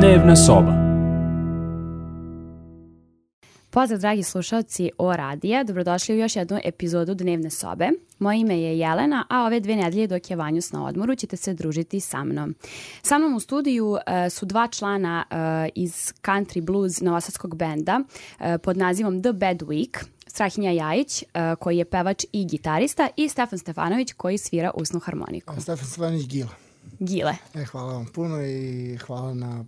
Dnevna soba. Pozdrav dragi slušalci O Radija, dobrodošli u još jednu epizodu Dnevne sobe. Moje ime je Jelena, a ove 2 nedelje dok je Vanjus na odmoru ćete se družiti sa mnom. Sa mnom u studiju su 2 člana iz country blues novosadskog benda pod nazivom The Bad Week. Strahinja Jajić, koji je pevač i gitarista, i Stefan Stefanović, koji svira usnu harmoniku. Stefan Stefanović Gile. Hvala vam puno i hvala na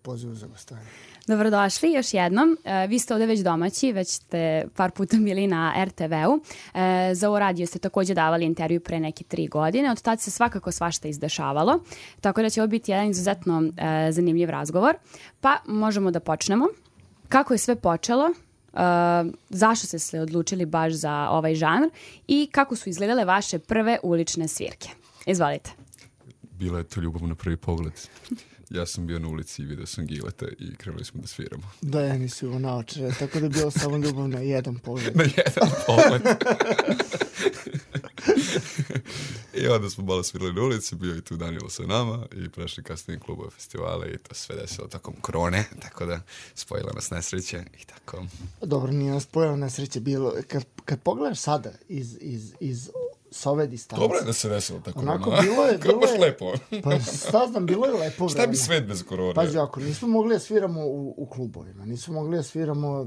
pozivu za gostovanje. Dobrodošli još jednom. Vi ste ovde već domaći, već ste par puta bili na RTV-u. Za ovo radio ste takođe davali intervju pre neke 3 godine. Od tada se svakako svašta izdešavalo. Tako da će ovo biti jedan izuzetno zanimljiv razgovor. Pa možemo da počnemo. Kako je sve počelo? Zašto ste se odlučili baš za ovaj žanr i kako su izgledale vaše prve ulične svirke? Izvolite. Bila je to ljubav na prvi pogled. Ja sam bio na ulici i vidio sam Gileta i krenuli smo da sviramo. Da, ja nisi ovo naočare, tako da je bilo samo ljubav na jedan pogled. Na jedan pogled. I onda smo malo svirali na ulici, bio i tu Danilo sa nama i prešli kasnije klubove, festivale i to sve desilo tokom korone, tako da spojila nas nesreće i tako. Dobro, nije nas spojila nesreće, bilo, kad pogledaš sada iz s ove distancije. Dobro je da se desilo tako. Onako, bilo je... Baš lepo. Pa šta znam, bilo je lepo vreme. Šta bi svet bez korone? Pazi, ako nismo mogli da sviramo u klubovima, nismo mogli da sviramo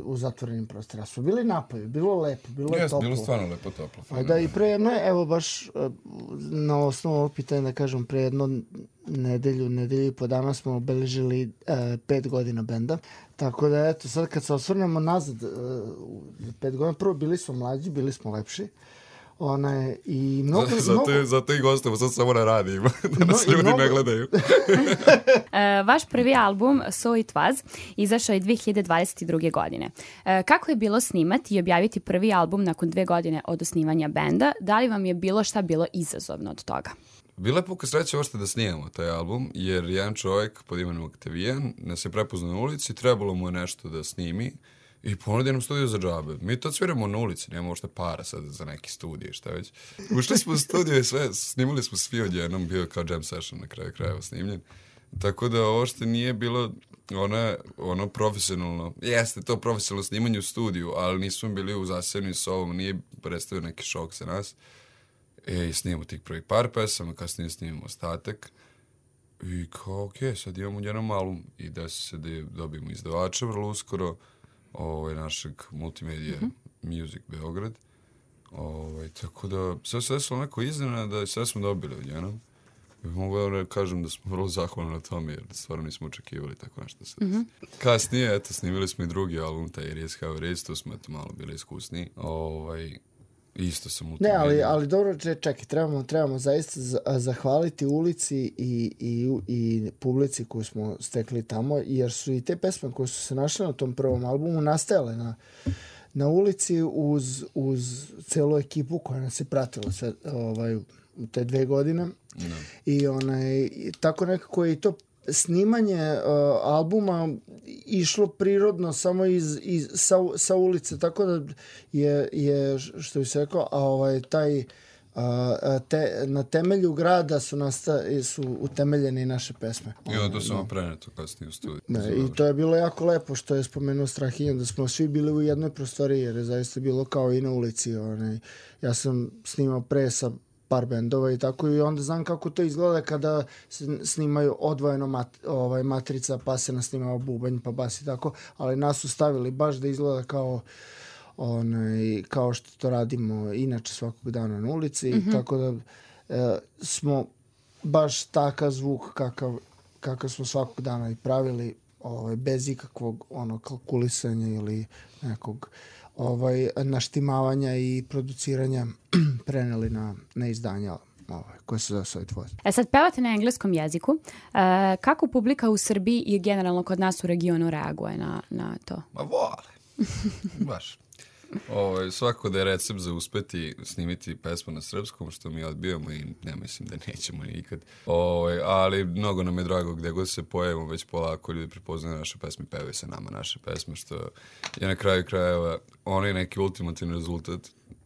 u zatvorenim prostorima. Smo bili napolje, bilo lepo, bilo je toplo. Bilo stvarno lepo, toplo. Da, i pre jedno, evo baš na osnovu ovog pitanja da kažem, pre jedno nedelju i po dana smo obeležili 5 godina benda. Tako da, eto, sad kad se osvrnemo nazad 5 godina, prvo bili smo mlađi, bili smo lepši. I mnogo... Zato i gostamo, sad samo na radijima, da nas ljudi ne gledaju. Vaš prvi album, So It Was, izašao je 2022. godine. Kako je bilo snimati i objaviti prvi album nakon 2 godine od osnivanja benda? Da li vam je bilo šta bilo izazovno od toga? Bila je puka sreća uopšte da snimamo taj album, jer jedan čovjek pod imenom Octavian nas je prepoznao na ulici, trebalo mu je nešto da snimi i ponudio nam studiju za džabe. Mi to sviramo na ulici, nemamo uopšte para sad za neki studij, šta već. Ušli smo u studiju i sve, snimali smo svi odjednom, bio kao jam session na kraju krajeva snimljen. Tako da uopšte nije bilo ono profesionalno, jeste to profesionalno snimanje u studiju, ali nismo bili u zasednju s ovom, nije predstavio neki šok sa nas. I snimamo tih prvih par pesama, kasnije snimamo ostatak. I kao, okej, sad imamo jedan album i da se dobijemo izdavača vrlo uskoro, našeg multimedija Music Beograd. Tako da sve se desilo onako iznenada da sve smo dobili odjednom. Mogu da kažem da smo vrlo zahvalni na tome jer stvarno nismo očekivali tako nešto se desi. Kasnije, eto, snimili smo i drugi album, taj It Is How It Is, tu smo malo bili iskusniji. Isto sam multimedija. Ne, ali dobro, čekaj, trebamo zaista zahvaliti ulici i publici koju smo stekli tamo, jer su i te pesme koje su se našle na tom prvom albumu nastajale na ulici uz celu ekipu koja nas je pratila sve, u te 2 godine. No. I tako nekako je i to snimanje albuma išlo prirodno samo sa ulice, tako da je što bi se rekao, na temelju grada su utemeljene i naše pesme. I onda to samo preneto kasnije u studiju. I to je bilo jako lepo što je spomenuo Strahinja, da smo svi bili u jednoj prostoriji, jer je zaista bilo kao i na ulici. Ja sam snimao pre sa par bendova i tako, i onda znam kako to izgleda kada se snimaju odvojeno matrica, pa se nasnimao bubanj, pa bas i tako, ali nas su stavili baš da izgleda kao što to radimo inače svakog dana na ulici, tako da smo baš takav zvuk kakav smo svakog dana i pravili, bez ikakvog kalkulisanja ili nekog naštimavanja i produciranja preneli na izdanja koje se zove So It Was. Sad pevate na engleskom jeziku. Kako publika u Srbiji i generalno kod nas u regionu reaguje na to? Ma vole. Baš. Svako da je recept za uspeti snimiti pesmu na srpskom, što mi odbijamo i ne mislim da nećemo nikad. Ali mnogo nam je drago gde god se pojavimo, već polako ljudi prepoznaju naše pesme, pevaju se nama naše pesme, što je na kraju krajeva onaj neki ultimativni rezultat,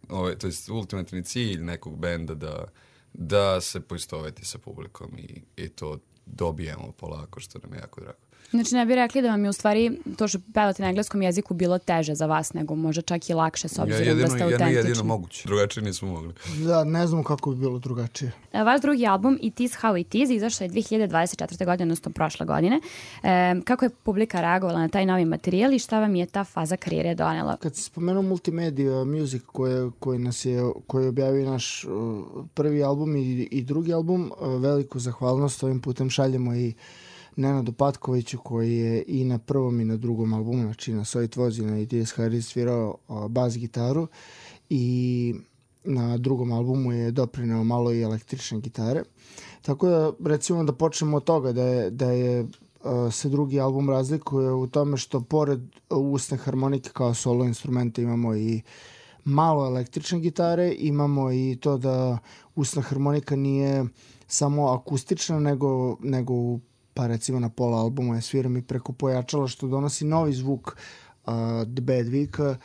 to je ultimativni cilj nekog benda da se poistoveti sa publikom i to dobijemo polako, što nam je jako drago. Znači ne bi rekli da vam je u stvari to što pevate na engleskom jeziku bilo teže za vas, nego možda čak i lakše s obzirom da ste autentični. Jedino moguće. Drugačije nismo mogli. Da, ne znam kako bi bilo drugačije. Vaš drugi album It Is How It Is izašao je 2024. godine, odnosno prošle godine. Kako je publika reagovala na taj novi materijal i šta vam je ta faza karijere donela? Kad si spomenuo Multimedia Music koji je objavio naš prvi album i drugi album, veliku zahvalnost ovim putem šaljemo i Nenadu Patkoviću koji je i na prvom i na drugom albumu, znači na So It Was i na It Is How It Is svirao bas gitaru i na drugom albumu je doprineo malo i električne gitare. Tako da recimo da počnemo od toga da je se drugi album razlikuje u tome što pored usne harmonike kao solo instrumenta imamo i malo električne gitare, imamo i to da usna harmonika nije samo akustična nego pa recimo na pola albuma je sviram i preko pojačala što donosi novi zvuk The Bad Week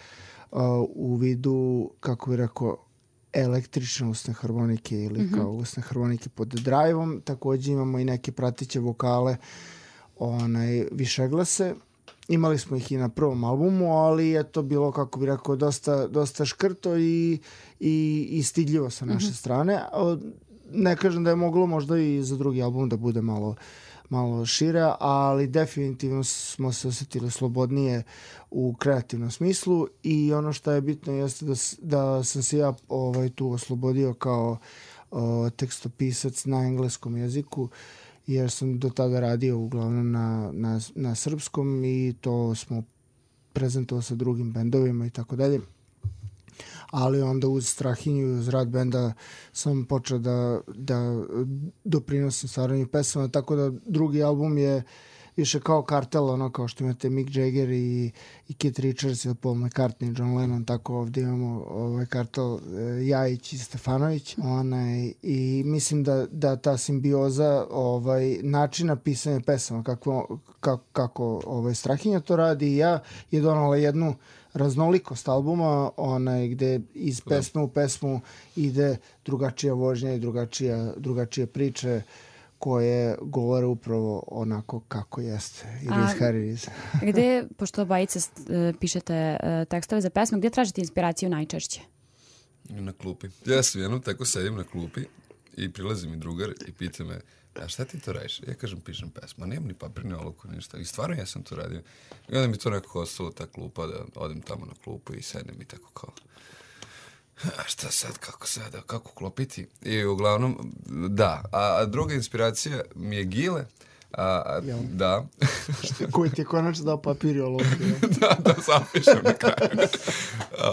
u vidu, kako bi rekao, električne usne harmonike ili kao usne harmonike pod drive-om. Također imamo i neke pratiće vokale, višeglase. Imali smo ih i na prvom albumu, ali je to bilo, kako bi rekao, dosta škrto i stidljivo sa naše strane. Ne kažem da je moglo možda i za drugi album da bude malo šire, ali definitivno smo se osjetili slobodnije u kreativnom smislu i ono što je bitno jeste da sam se ja tu oslobodio kao tekstopisac na engleskom jeziku, jer sam do tada radio uglavnom na srpskom i to smo prezentovali sa drugim bendovima i tako dalje. Ali onda uz Strahinju i uz rad benda sam počeo da doprinosim stvaranju pesama, tako da drugi album je više kao kartel, kao što imate Mick Jagger i Keith Richards ili Paul McCartney, John Lennon, tako ovdje imamo kartel Jajić i Stefanović. I mislim da ta simbioza načina pisanja pesama, kako Strahinja to radi i ja, je donala jednu raznolikost albuma, gde iz pesme u pesmu ide drugačija vožnja i drugačije priče koje govore upravo onako kako jeste. Gde, pošto obojice pišete tekstove za pesmu, gdje tražite inspiraciju najčešće? Na klupi. Ja sam jednom tako sedim na klupi i prilazi mi drugar i pita me: a šta ti to radiš? Ja kažem, pišem pesmu. Nemam ni papir, ni olovku, ništa. I stvarno ja sam to radio. I onda mi to nekako ostalo, ta klupa, da odem tamo na klupu i sedem i tako kao, a šta sad, kako klopiti? I uglavnom, da. A druga inspiracija mi je Gile. Da. Koji ti je konačno dao papir i olovku. da zapišem na kraju.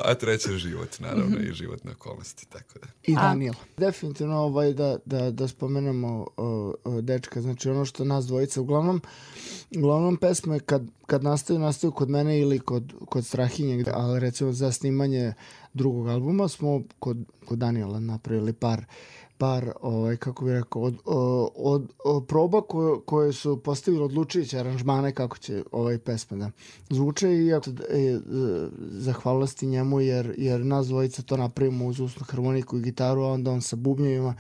A treća je život, naravno, i životne okolnosti, tako da. I Daniel. Definitivno da spomenemo dečka, znači ono što nas dvojica, uglavnom pesme kad nastaju kod mene ili kod Strahinje, ali recimo za snimanje drugog albuma smo kod Daniela napravili par kako bih rekao, od proba koje su postavili odlučujuće aranžmane kako će pesma da zvuče i zahvalnosti njemu jer nas dvojica to napravimo uz usnu harmoniku i gitaru, a onda on sa bubnjevima,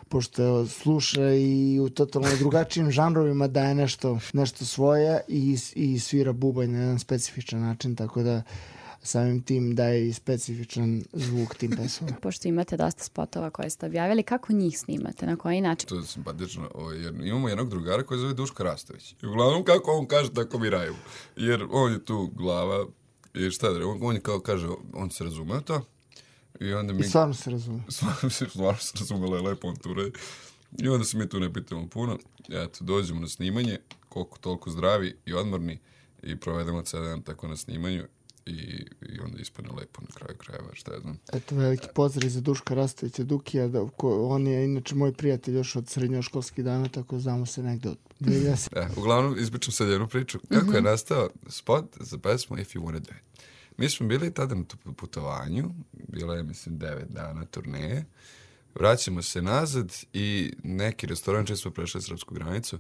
pošto sluša i u totalno drugačijim žanrovima daje nešto svoje i svira bubanj na jedan specifičan način, tako da samim tim daje i specifičan zvuk tim pesmama. Pošto imate dosta spotova koje ste objavili, kako njih snimate? Na koji način? To je simpatično. Imamo jednog drugara koji zove Duško Rastović. I uglavnom kako on kaže, tako mi radimo. Jer on je tu glava i šta da on je kao kaže, on se razume to. I onda mi... I stvarno se razume. Stvarno se razume, lepo on tu radi. I onda se mi tu ne pitamo puno. Eto, dođemo na snimanje, koliko toliko zdravi i odmorni i provedemo cijeli dan tako na snimanju. I onda ispane lepo na kraju krajeva, šta ja znam. Eto, veliki pozdrav za Duška Rastovića Dukija, on je inače moj prijatelj još od srednjoškolskih dana, tako znamo se negde od 2010. Uglavnom, izbičam sad jednu priču. Kako je nastao spot za pesmu If You Wanna Do It? Mi smo bili tada na putovanju, bila je, mislim, 9 dana turneje. Vraćamo se nazad i neki restoran, često smo prešli srpsku granicu,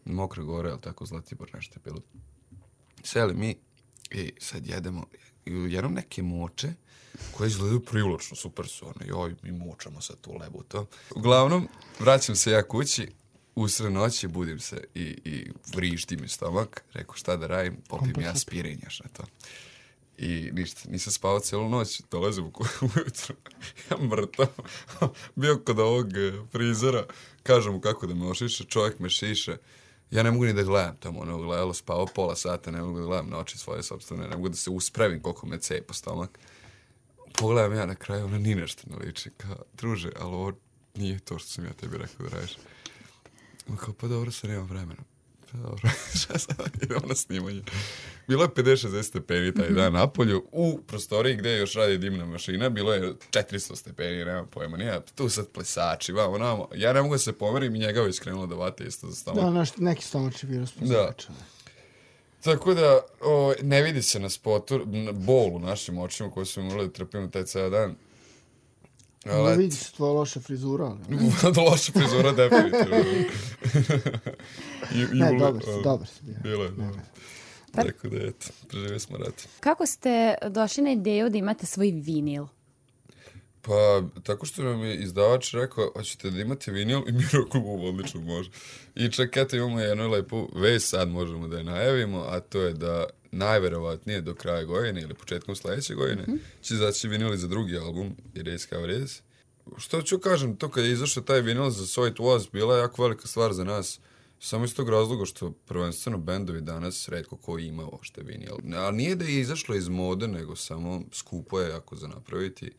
Mokra Gora, ali tako Zlatibor, nešto je bilo. Seli mi i sad jedemo neke moče koje izgledaju privlačno, super su one, mi močamo sad tu lebu to. Uglavnom, vraćam se ja kući usred noći budim se i vrišti mi stomak. Rekao šta da radim, popijem ja aspirin još na to. I ništa, nisam spavao cijelu noć, dolazim ujutru, ja mrtav, bio kod ovog frizera, kažem mu kako da me ošiše, čovjek me šiše, ja ne mogu ni da gledam tamo, ono gledalo, spavao pola sata, ne mogu da gledam na oči svoje sobstvene, ne mogu da se uspravim koliko me cepa stomak. Pogledam ja na kraju, ona ni nešto ne liči, kao, druže, ali ovo nije to što sam ja tebi rekao da radiš. Kao, pa dobro, sad nemam vremena. Pa dobro, šta sad idemo na snimanje. Bilo je 50-60 stepeni taj dan napolju, u prostoriji gde još radi dimna mašina, bilo je 400 stepeni, nema pojma, nije, tu sad plesači, vamo, namo. Ja ne mogu da se pomerim i njega već krenulo da vate isto za stomak. Da, neki stomačni virus plesača. Tako da, ne vidi se na spotu, bol u našim očima koji smo morali da trpimo taj ceo dan. Ne vidi se tvoja loša frizura, ali... Loša frizura, definitivno. Ne, dobar si bio. Bilo je, dobro. Tako da, eto, preživio smo rat. Kako ste došli na ideju da imate svoj vinil? Pa, tako što nam je izdavač rekao, hoćete da imate vinil i mi rekao, odlično može. I čak, eto, imamo jednu lepu vest, sad možemo da je najavimo, a to je da najverovatnije do kraja godine ili početkom sledeće godine će izaći vinil za drugi album, Erase Cover Erase. Što ću kažem, to kad je izašao taj vinil za So It Was, bila je jako velika stvar za nas. Samo iz tog razloga što prvenstveno bendovi danas retko ko ima ošte vinil. Ali nije da je izašlo iz mode, nego samo skupo je jako za napraviti.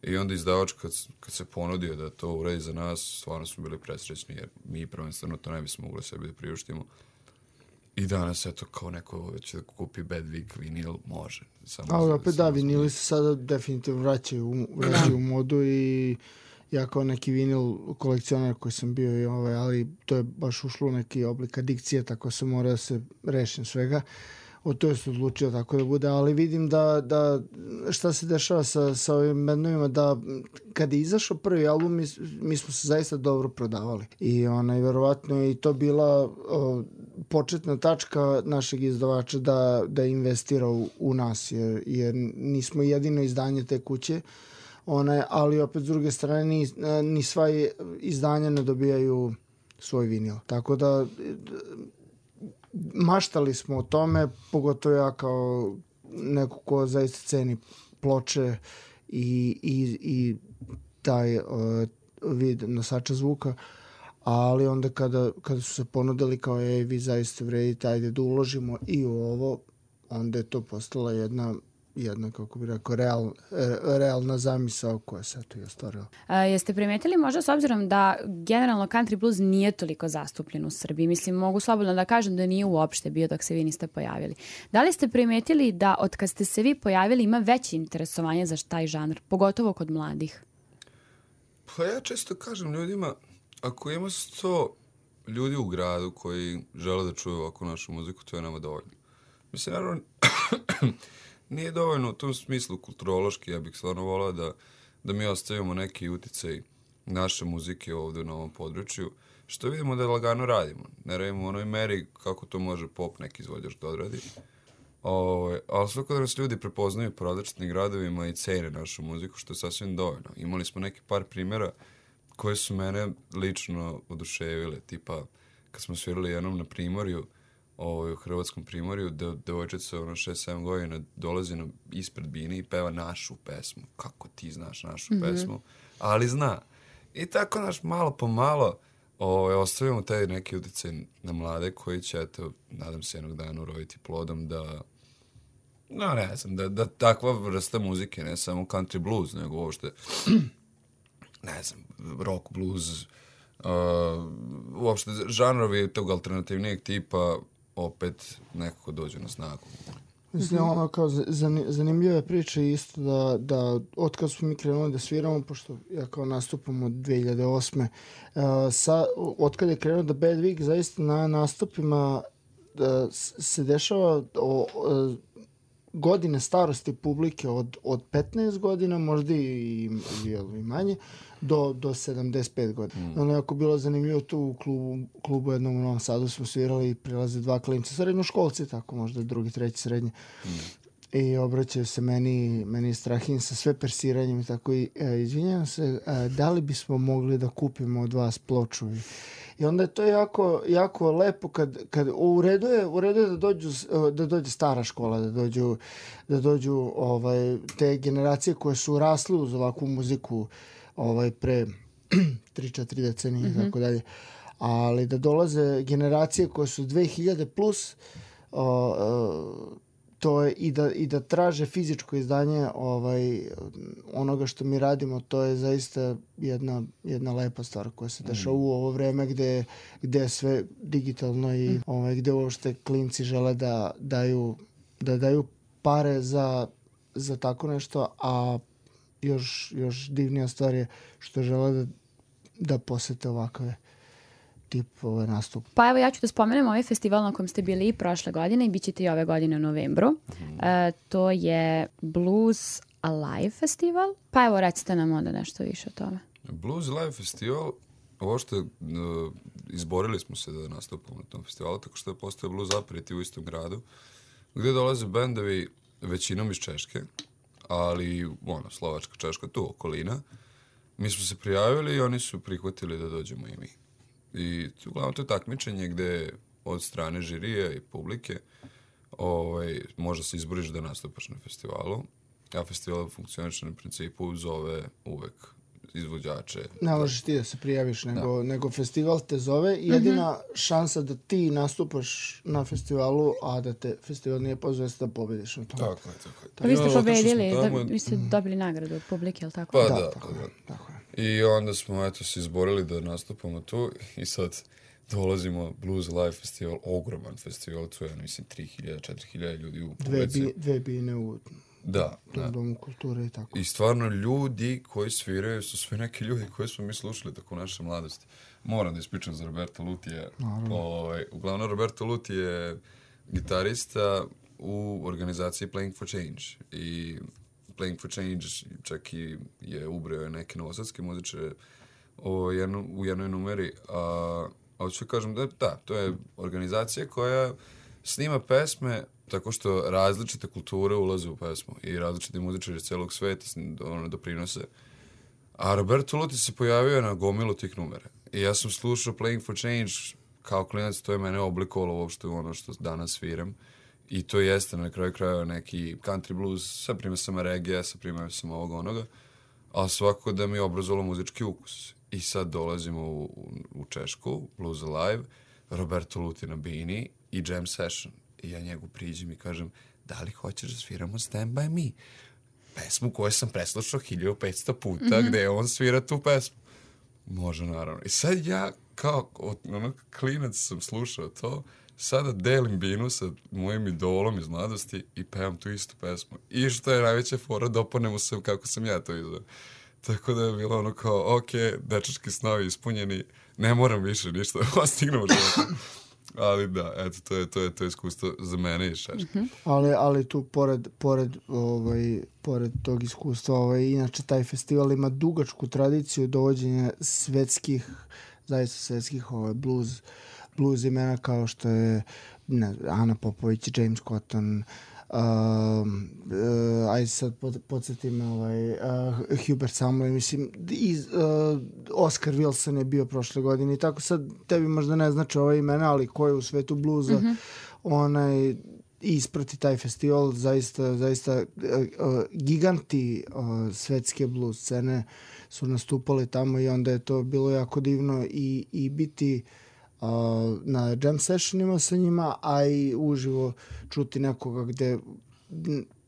I onda izdavač kad se ponudio da to uradi za nas, stvarno smo bili presrećni jer mi prvenstveno to ne bismo mogli sebi da priuštimo. I danas, eto, kao neko već da kupi Bad Week vinil, može. Ali opet da, vinili se sada definitivno vraćaju u modu i ja kao neki vinil kolekcionar koji sam bio, ali to je baš ušlo u neki oblik adikcije, tako se mora da se rešim svega. O to je se odlučio tako da bude, ali vidim da šta se dešava sa ovim bendovima, da kad je izašao prvi album, mi smo se zaista dobro prodavali. I verovatno je i to bila početna tačka našeg izdavača da investira u nas, jer nismo jedino izdanje te kuće, ali opet s druge strane ni sva izdanja ne dobijaju svoj vinil. Tako da maštali smo o tome, pogotovo ja kao neko ko zaista ceni ploče i taj vid nosača zvuka, ali onda kada su se ponudili kao vi zaista vredite, ajde da uložimo i u ovo, onda je to postala jedna kako bih rekao, realna zamisao koja se to i ostvarila. Jeste primetili možda s obzirom da generalno country blues nije toliko zastupljen u Srbiji? Mislim, mogu slobodno da kažem da nije uopšte bio dok se vi niste pojavili. Da li ste primetili da od kad ste se vi pojavili ima veće interesovanje za taj žanr, pogotovo kod mladih? Pa ja često kažem ljudima, ako ima 100 ljudi u gradu koji žele da čuju ovako našu muziku, to je nama dovoljno. Mislim, naravno, nije dovoljno u tom smislu kulturološki, ja bih stvarno volao da mi ostavimo neki uticaj naše muzike ovdje na ovom području, što vidimo da lagano radimo. Ne radimo u onoj meri kako to može pop neki izvođač da odradi. Ali svako da nas ljudi prepoznaju po različitim gradovima i cene našu muziku, što je sasvim dovoljno. Imali smo neki par primjera koje su mene lično oduševile, tipa kad smo svirali jednom na Primorju, u Hrvatskom Primorju, devojčica 6-7 godina dolazi ispred bine i peva našu pesmu. Kako ti znaš našu pesmu? Ali zna. I tako malo po malo ostavimo taj neki utjecaj na mlade koji će, eto, nadam se jednog dana uroditi plodom da takva vrsta muzike, ne samo country blues, nego uopšte, ne znam, rock, blues, uopšte žanrovi tog alternativnijeg tipa opet nekako dođe na snagu. Mislim, kao zanimljiva je priča isto da otkad smo mi krenuli da sviramo, pošto ja kao nastupam od 2008. Otkad je krenuo da Bad Week, zaista na nastupima se dešava godine starosti publike od 15 godina, možda i manje, do 75 godina. Ono je jako bilo zanimljivo tu u klubu jednom u Novom Sadu smo svirali i prilaze 2 klinca, srednjoškolci, tako možda drugi, treći srednje. I obraćaju se meni Strahin sa sve persiranjem i tako i izvinjavam se, da li bismo mogli da kupimo od vas ploču? I onda je to jako lepo kad u redu je da dođe stara škola, da dođu te generacije koje su rasle uz ovakvu muziku pre 3-4 decenije i tako dalje. Ali da dolaze generacije koje su 2000 plus, to je i da traže fizičko izdanje onoga što mi radimo, to je zaista jedna lepa stvar koja se dešava u ovo vreme gde je sve digitalno i gde uopšte klinci žele da daju pare za tako nešto, a još divnija stvar je što žele da posete ovakve tip nastup. Pa evo ja ću da spomenem ovaj festival na kojem ste bili i prošle godine i bit ćete i ove godine u novembru. To je Blues Alive festival. Pa evo recite nam onda nešto više o tome. Blues Alive festival, ovo što izborili smo se da nastupamo na tom festivalu, tako što je postao Blues Aperitiv u istom gradu, gde dolaze bendovi većinom iz Češke, ali Slovačka, Češka, tu okolina. Mi smo se prijavili i oni su prihvatili da dođemo i mi. I uglavnom to je takmičenje gde od strane žirija i publike možda se izboriš da nastupaš na festivalu, a festival funkcioniše na principu zove uvek izvođače. Ne možeš ti da se prijaviš, nego festival te zove i jedina šansa da ti nastupaš na festivalu, a da te festival nije pozove, da pobediš na tom. Tako je. Pa vi ste pobedili, vi ste dobili nagradu od publike, ali tako? Pa da, tako je. I onda smo se izborili da nastupamo tu i sad dolazimo Blues Live festival, ogroman festival, tu je, mislim, 3.000-4.000 ljudi u publici. Dve bine u Domu kulture i tako. I stvarno ljudi koji sviraju su sve neki ljudi koji smo mi slušali tako u našoj mladosti. Moram da ispričam za Roberto Lutija. Uglavnom, Roberto Luti je gitarista u organizaciji Playing for Change. I Playing for Change čak i je ubreo neke novosadske muzičare u jednoj numeri. A hoću kažem da, to je organizacija koja snima pesme tako što različite kulture ulaze u pesmu i različiti muzičari iz celog sveta doprinose. A Roberto Luti se pojavio na gomilu tih numera. I ja sam slušao Playing for Change kao klinac, to je mene oblikovalo uopšte u ono što danas sviram. I to jeste na kraju krajeva neki country blues sa primesama reggae, sa primesama ovoga onoga, ali svakako da mi je obrazovalo muzički ukus. I sad dolazimo u Češku, Blues Alive, Roberto Luti na bini i jam session. I ja njegu priđem i kažem, da li hoćeš da sviramo Stand By Me? Pesmu koju sam preslušao 1500 puta, gde on svira tu pesmu. Može, naravno. I sad ja, kao klinac sam slušao to, sada delim binu sa mojim idolom iz mladosti i pevam tu istu pesmu. I što je najveća fora, dopadne mu se kako sam ja to izveo. Tako da je bilo ono kao, ok, dečački snovi ispunjeni, ne moram više ništa da postignem u životu. Ali da, eto, to je iskustvo za mene iz Češke. Ali tu, pored tog iskustva, inače taj festival ima dugačku tradiciju dovođenja zaista svetskih blues imena kao što je Ana Popović, James Cotton, ajde sad podsjetim Hubert Sumlin, mislim Oscar Wilson je bio prošle godine i tako sad tebi možda ne znači ova imena, ali ko je u svetu bluza isprati taj festival, zaista giganti svetske blues scene su nastupali tamo i onda je to bilo jako divno i biti na jam sessionima sa njima, a i uživo čuti nekoga gde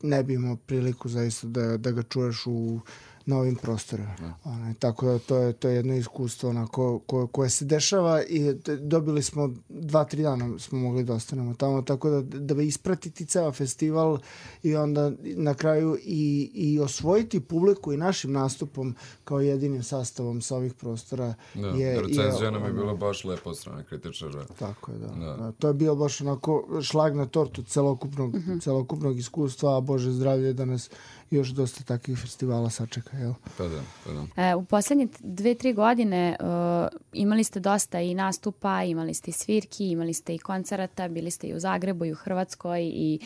ne bi imao priliku zaista da ga čuješ na ovim prostorima. Tako da to je jedno iskustvo koje se dešava i dobili smo 2-3 dana smo mogli da ostanemo tamo, tako da bi ispratiti ceo festival i onda na kraju i osvojiti publiku i našim nastupom kao jedinim sastavom sa ovih prostora. Recenzija nam je bila baš lepa od strane kritičara. Tako je, da. To je bio baš onako šlag na tortu celokupnog iskustva, a Bože zdravlje da nas još dosta takvih festivala sačeka, jel? Pa da. U poslednje 2-3 godine imali ste dosta i nastupa, imali ste i svirki, imali ste i koncerata, bili ste i u Zagrebu i u Hrvatskoj i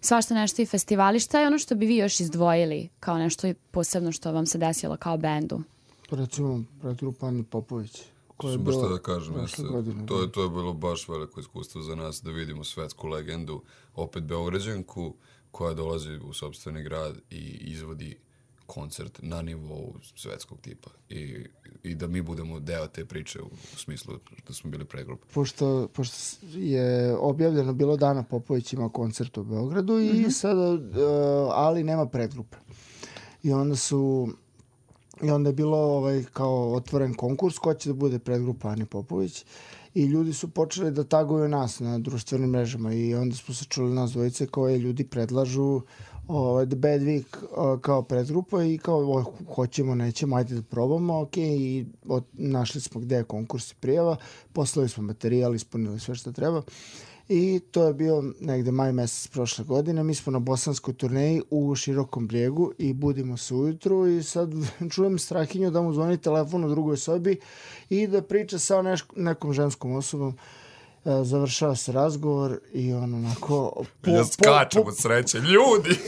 svašta nešto i festivali. Šta je ono što bi vi još izdvojili kao nešto posebno što vam se desilo kao bendu? Recimo, grupa Ani Popović, koja je baš bila da kažem, prošle godine. To je bilo baš veliko iskustvo za nas da vidimo svetsku legendu, opet Beograđanku, koja dolazi u sopstveni grad i izvodi koncert na nivou svetskog tipa i da mi budemo deo te priče u smislu da smo bili pregrupa. Pošto je objavljeno bilo Dana Popović ima koncert u Beogradu i sada, ali nema predgrupe. I onda je bilo kao otvoren konkurs ko će da bude predgrupa Ani Popović i ljudi su počeli da taguju nas na društvenim mrežama i onda smo se čuli nas dvojice koje ljudi predlažu The Bad Week kao predgrupa i kao hoćemo, nećemo, ajde da probamo, ok, i našli smo gde je konkurs i prijava, poslali smo materijal, ispunili sve što treba i to je bio negde maj mesec prošle godine. Mi smo na bosanskoj turneji u Širokom Brijegu i budimo se ujutru i sad čujem Strahinju da mu zvoni telefon u drugoj sobi i da priča sa nekom ženskom osobom. Završava se razgovor i on onako... Ja skačem od sreće, ljudi!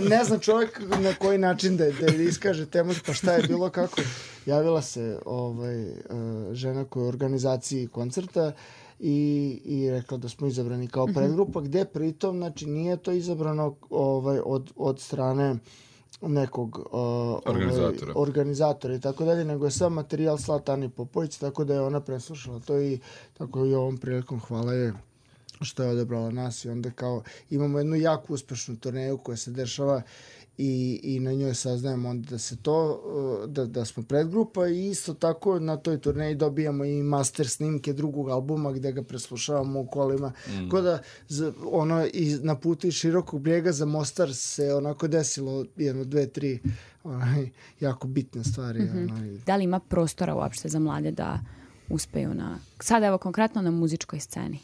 Ne znam čovjek na koji način da iskaže temu, pa šta je bilo, kako. Javila se žena koja je u organizaciji koncerta i rekla da smo izabrani kao predgrupa, gde pritom, znači, nije to izabrano od strane nekog organizatora i tako dalje, nego je sam materijal slat Ani Popović, tako da je ona preslušala to i tako i ovom prilikom hvala je što je odebrala nas i onda kao imamo jednu jako uspešnu turneju koja se dešava i na njoj saznajemo onda da se to, da smo predgrupa i isto tako na toj turneji dobijamo i master snimke drugog albuma gde ga preslušavamo u kolima. Ko da na putu iz Širokog Brijega za Mostar se onako desilo 1, 2, 3 jako bitne stvari. Da li ima prostora uopšte za mlade da uspeju sada evo konkretno na muzičkoj sceni?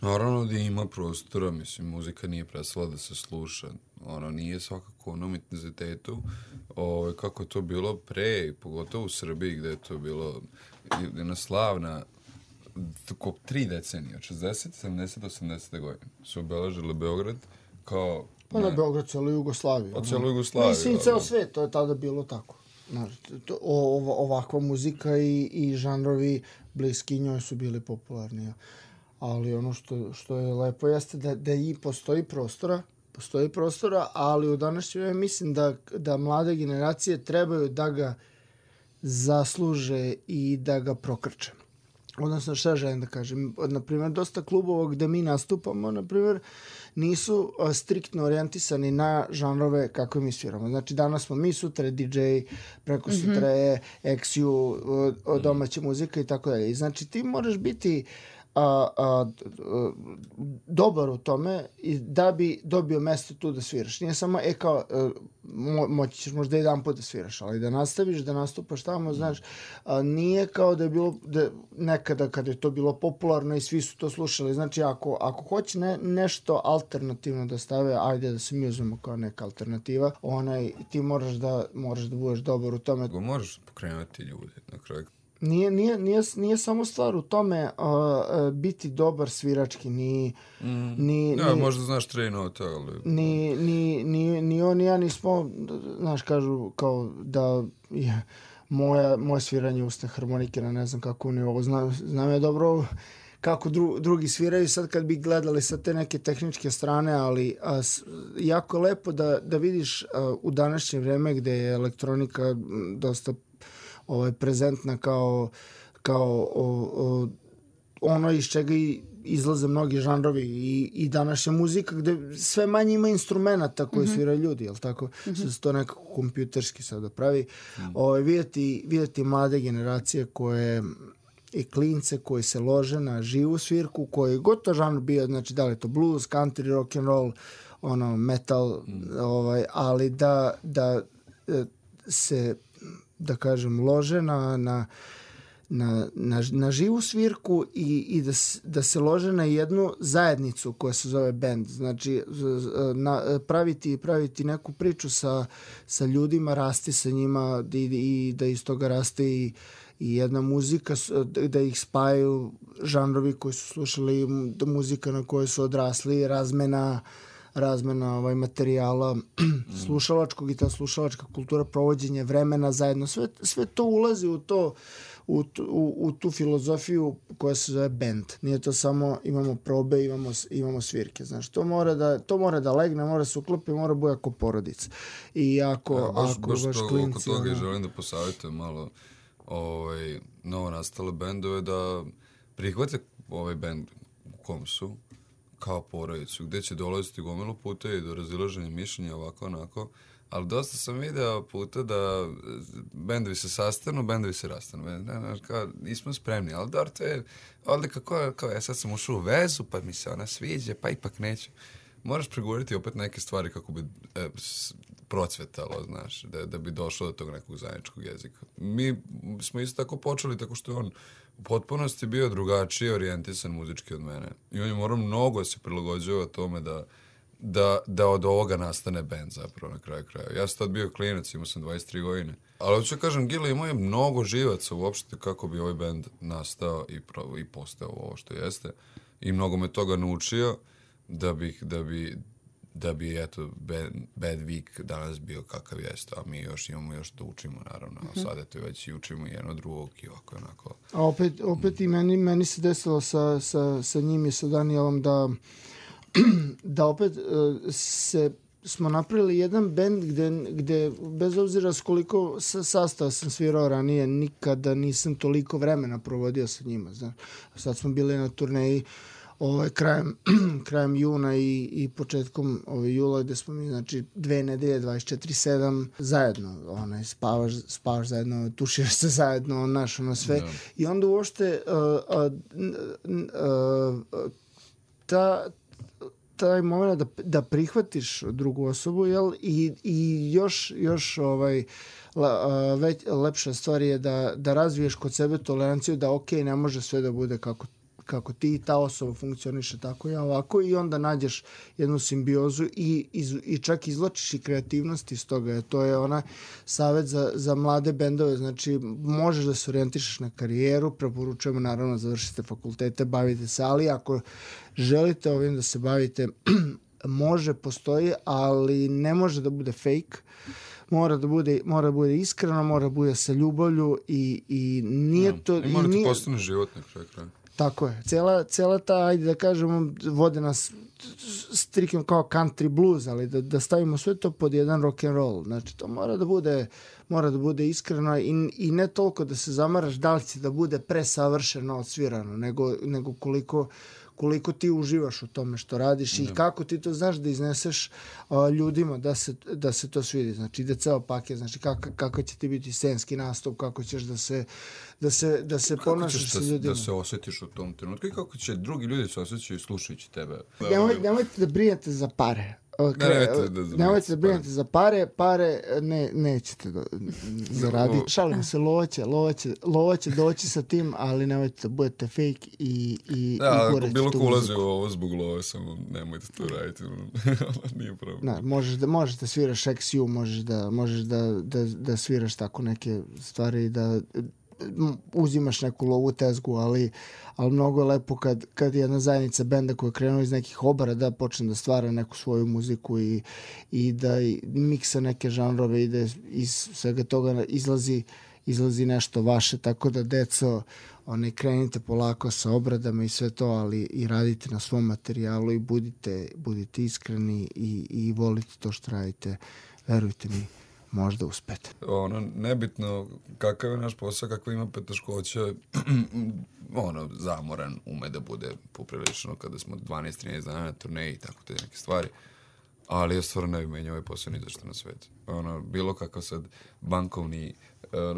Naravno da ima prostora, mislim, muzika nije prestala da se sluša. Ona nije svakako na intenzitetu kako je to bilo pre, pogotovo u Srbiji gde je to bilo jedna slavna 3 decenije, 60, 70, 80. godine su obeležile Beograd kao... Pa na Beograd, celo Jugoslaviju. Celo Jugoslaviju. Mislim, ceo svet, to je tada bilo tako. Ovakva muzika i žanrovi bliski njoj su bili popularni. Ali ono što je lepo jeste da i postoji prostora, ali u današnje vreme mislim da mlade generacije trebaju da ga zasluže i da ga prokrče. Odnosno, šta želim da kažem? Naprimjer, dosta klubova gde mi nastupamo, naprimjer, nisu striktno orijentisani na žanrove kako mi sviramo. Znači, danas smo mi, sutra je DJ, preko sutra je XU, domaća muzika i tako dalje. Znači, ti moraš biti dobar u tome i da bi dobio mesto tu da sviraš. Nije samo, kao, moći ćeš možda jedan put da sviraš, ali da nastaviš, da nastupaš tamo, znaš, nije kao da je bilo nekada kada je to bilo popularno i svi su to slušali. Znači, ako hoće nešto alternativno da stave, ajde da se mi uzmemo kao neka alternativa, ti moraš da budeš dobar u tome. Možeš pokrenuti ljudi na kraju. Nije samo stvar u tome biti dobar svirački, možda znaš 3 note, ali... Ni on ni ja nismo, znaš, kažu kao da je moje sviranje usne harmonike na ne znam kakvom nivou. Znam ja dobro kako drugi sviraju sad kad bi gledali sa te neke tehničke strane, ali jako je lepo da vidiš u današnje vreme gde je elektronika dosta prezentna kao ono iz čega izlaze mnogi žanrovi i današnja muzika gde sve manje ima instrumenta koji sviraju ljudi, jel tako? Se to nekako kompjuterski sada pravi. Vidjeti mlade generacije koje i klince koji se lože na živu svirku, koji gotovo žanr bio, znači da li je to blues, country, rock and roll, metal, ali da se, da kažem, lože na živu svirku i da se lože na jednu zajednicu koja se zove band. Znači, praviti neku priču sa ljudima, rasti sa njima i da iz toga raste i jedna muzika, da ih spajaju žanrovi koji su slušali, muzika na kojoj su odrasli, razmena materijala slušalačkog i ta slušalačka kultura, provođenje vremena zajedno, sve to ulazi u tu filozofiju koja se zove band. Nije to samo imamo probe, imamo svirke. Znaš, to mora da legne, mora se uklopi, mora bude ako porodica. I ako baš baš to, klinci... oko toga želim da posavjetujem malo novo nastale bendove da prihvate ovaj bend u kom su kao porodicu, gde će dolaziti gomilu puta i do razilaženja mišljenja ovako onako, ali dosta sam video puta da bendovi se sastanu, bendovi se rastanu. Kao, nismo spremni, ali dobro, to je odlika kao ja sad sam ušao u vezu, pa mi se ona sviđa, pa ipak neću. Moraš pregovoriti opet neke stvari kako bi procvetalo, znaš, da bi došlo do tog nekog zajedničkog jezika. Mi smo isto tako počeli, tako što je on u potpunosti bio drugačije orijentisan muzički od mene. I on je morao mnogo se prilagođava tome da od ovoga nastane band zapravo na kraju kraja. Ja sam tad bio klinac, imao sam 23 godine. Ali hoću kažem, Gila imao je mnogo živaca uopšte kako bi ovaj band nastao i postao ovo što jeste. I mnogo me toga naučio da bi eto, Bad Week danas bio kakav jeste, a mi imamo da učimo, naravno. Sad eto već i učimo jedno drugog i ovako onako. A opet i meni se desilo sa njim i sa Danielom da opet smo napravili jedan band gde bez obzira s koliko sastava sam svirao ranije, nikada nisam toliko vremena provodio sa njima. Znaš. Sad smo bili na turneji krajem juna i početkom jula, gde smo mi, znači, 2 nedelje, 24/7 zajedno, spavaš zajedno, tuširaš se zajedno, sve. Da. I onda uopšte taj moment da prihvatiš drugu osobu, jel, i još lepša stvar je da razviješ kod sebe toleranciju da ne može sve da bude kako ti, ta osoba funkcioniše tako, ja ovako, i onda nađeš jednu simbiozu i čak izvlačiš i kreativnost iz toga. To je ona savjet za mlade bendove, znači možeš da se orijentišeš na karijeru, preporučujemo naravno završite fakultete, bavite se, ali ako želite ovim da se bavite, postoji, ali ne može da bude fake. Mora da bude iskreno, mora da bude sa ljubavlju i nije to... I mora ti postane život na kraju. Tako je. Cela ta, ajde da kažemo, vode nas striktno kao country blues, ali da stavimo sve to pod jedan rock and roll. Znači, to mora da bude iskreno i ne toliko da se zamaraš da li će da bude presavršeno odsvirano, nego koliko ti uživaš u tome što radiš i kako ti to znaš da izneseš ljudima da se to svidi. Znači, ide ceo paket, znači kako će ti biti scenski nastup, kako ćeš da se ponašaš sa ljudima. Da se osjetiš u tom trenutku i kako će drugi ljudi se osjećaju slušajući tebe. Nemojte da brinete za pare. Nemojte da brinete za pare nećete zaraditi. Šalim se, lova će doći sa tim, ali nemojte da budete fake i ako bilo ko ulazi u ovo zbog love, samo nemojte to raditi. Nije problem. Možeš da sviraš XU, možeš da sviraš tako neke stvari, da uzimaš neku lovu tezgu, ali mnogo je lepo kad jedna zajednica benda koja je krenula iz nekih obara da počne da stvara neku svoju muziku i da miksa neke žanrove i da iz svega toga izlazi nešto vaše, tako da deco, krenite polako sa obradama i sve to, ali i radite na svom materijalu i budite iskreni i volite to što radite, verujte mi, možda uspete. Nebitno kakav je naš posao, kakva ima poteškoća, zamoran ume da bude poprilično kada smo 12-13 dana na turneji i tako te neke stvari. Ali ja stvarno ne bi menjao ovaj posao ni zašto na svijetu. Bilo kakav sad bankovni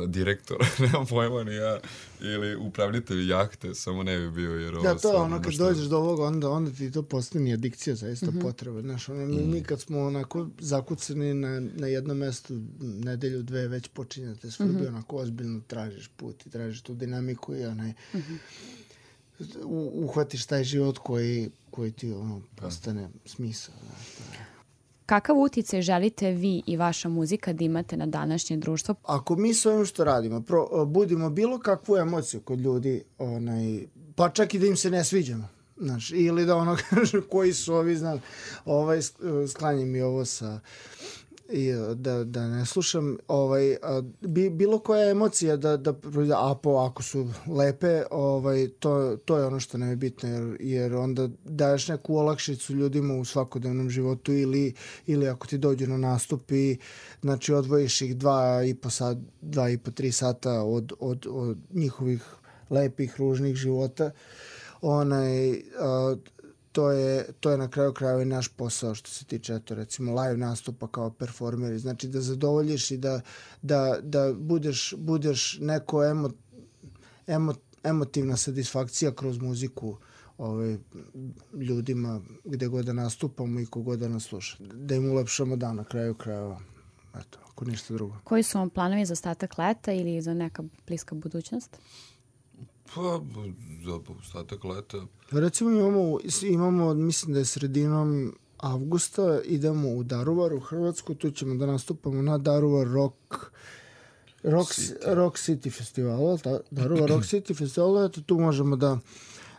direktor, nemam pojma ni ja, ili upravljatelj jahte, samo ne bi bio, jer ovo... Da, to je kad dođeš do ovoga, onda ti to postane adikcija, zaista potreba. Znaš, mi kad smo onako zakucani na jednom mestu, nedelju, 2, već počinjate srbi, onako ozbiljno tražiš put i tražiš tu dinamiku i uhvatiš taj život koji ti postane smisao. Kakav uticaj želite vi i vaša muzika da imate na današnje društvo? Ako mi s ovim što radimo budimo bilo kakvu emociju kod ljudi, pa čak i da im se ne sviđamo, znaš, ili da kažu koji su ovi, znam, sklanjaj mi ovo sa... da ne slušam, bilo koja emocija ako su lepe, to je ono što nam je bitno, jer onda daješ neku olakšicu ljudima u svakodnevnom životu ili ako ti dođu na nastup i znači odvojiš ih 2,5-3 sata od njihovih lepih, ružnih života, to je na kraju krajeva i naš posao što se tiče, recimo, live nastupa kao performeri. Znači da zadovoljiš i da budeš neko emotivna satisfakcija kroz muziku ljudima gde god da nastupamo i kogod da nas sluša. Da im ulepšamo dan na kraju krajeva. Eto, ako ništa drugo. Koji su vam planovi za ostatak leta ili za neka bliska budućnost? Pa, za ostatak leta. Recimo imamo, mislim da je sredinom avgusta, idemo u Daruvar, u Hrvatsku, tu ćemo da nastupamo na Daruvar Rock City festivalu, Daruvar Rock City festivalu, eto tu možemo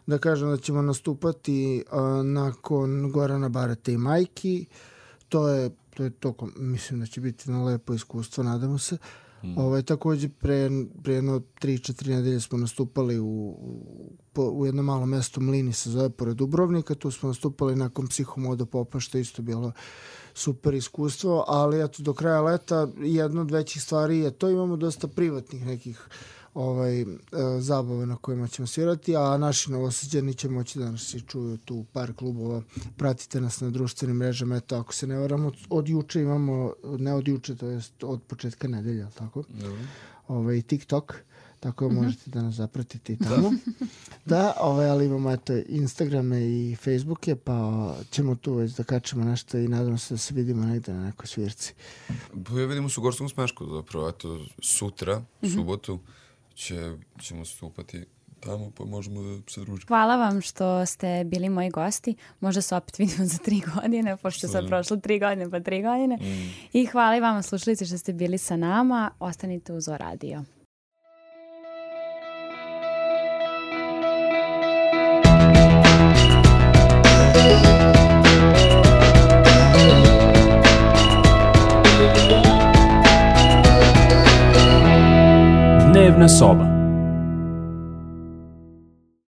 da kažem da ćemo nastupati nakon Gorana Barata i Majki, to je mislim da će biti na lepo iskustvo, nadamo se. Takođe pre jedno 3-4 nedelje smo nastupali u jednom malom mestu, Mlini se zove, pored Dubrovnika. Tu smo nastupali nakon Psihomoda Popa, što isto bilo super iskustvo, ali eto, do kraja leta jedna od većih stvari je to, imamo dosta privatnih nekih zabave na kojima ćemo svirati, a naši Novosađani će moći da nas i čuju tu par klubova. Pratite nas na društvenim mrežama, eto, ako se ne varamo, od juče imamo, ne od juče, to je od početka nedelja, tako? TikTok, tako možete da nas zapratite i tamo. Ali imamo Instagrame i Facebooke, pa ćemo tu već da kačemo nešto i nadam se da se vidimo negde na nekoj svirci. Vidimo se u Gorskom Smešku, zapravo, eto, sutra, subotu, ćemo stupati tamo, pa možemo da se družimo. Hvala vam što ste bili moji gosti. Možda se opet vidimo za 3 godine, pošto sad prošlo 3 godine, pa 3 godine. I hvala i vama, slušalice, što ste bili sa nama. Ostanite uz O Radio. Dnevna soba.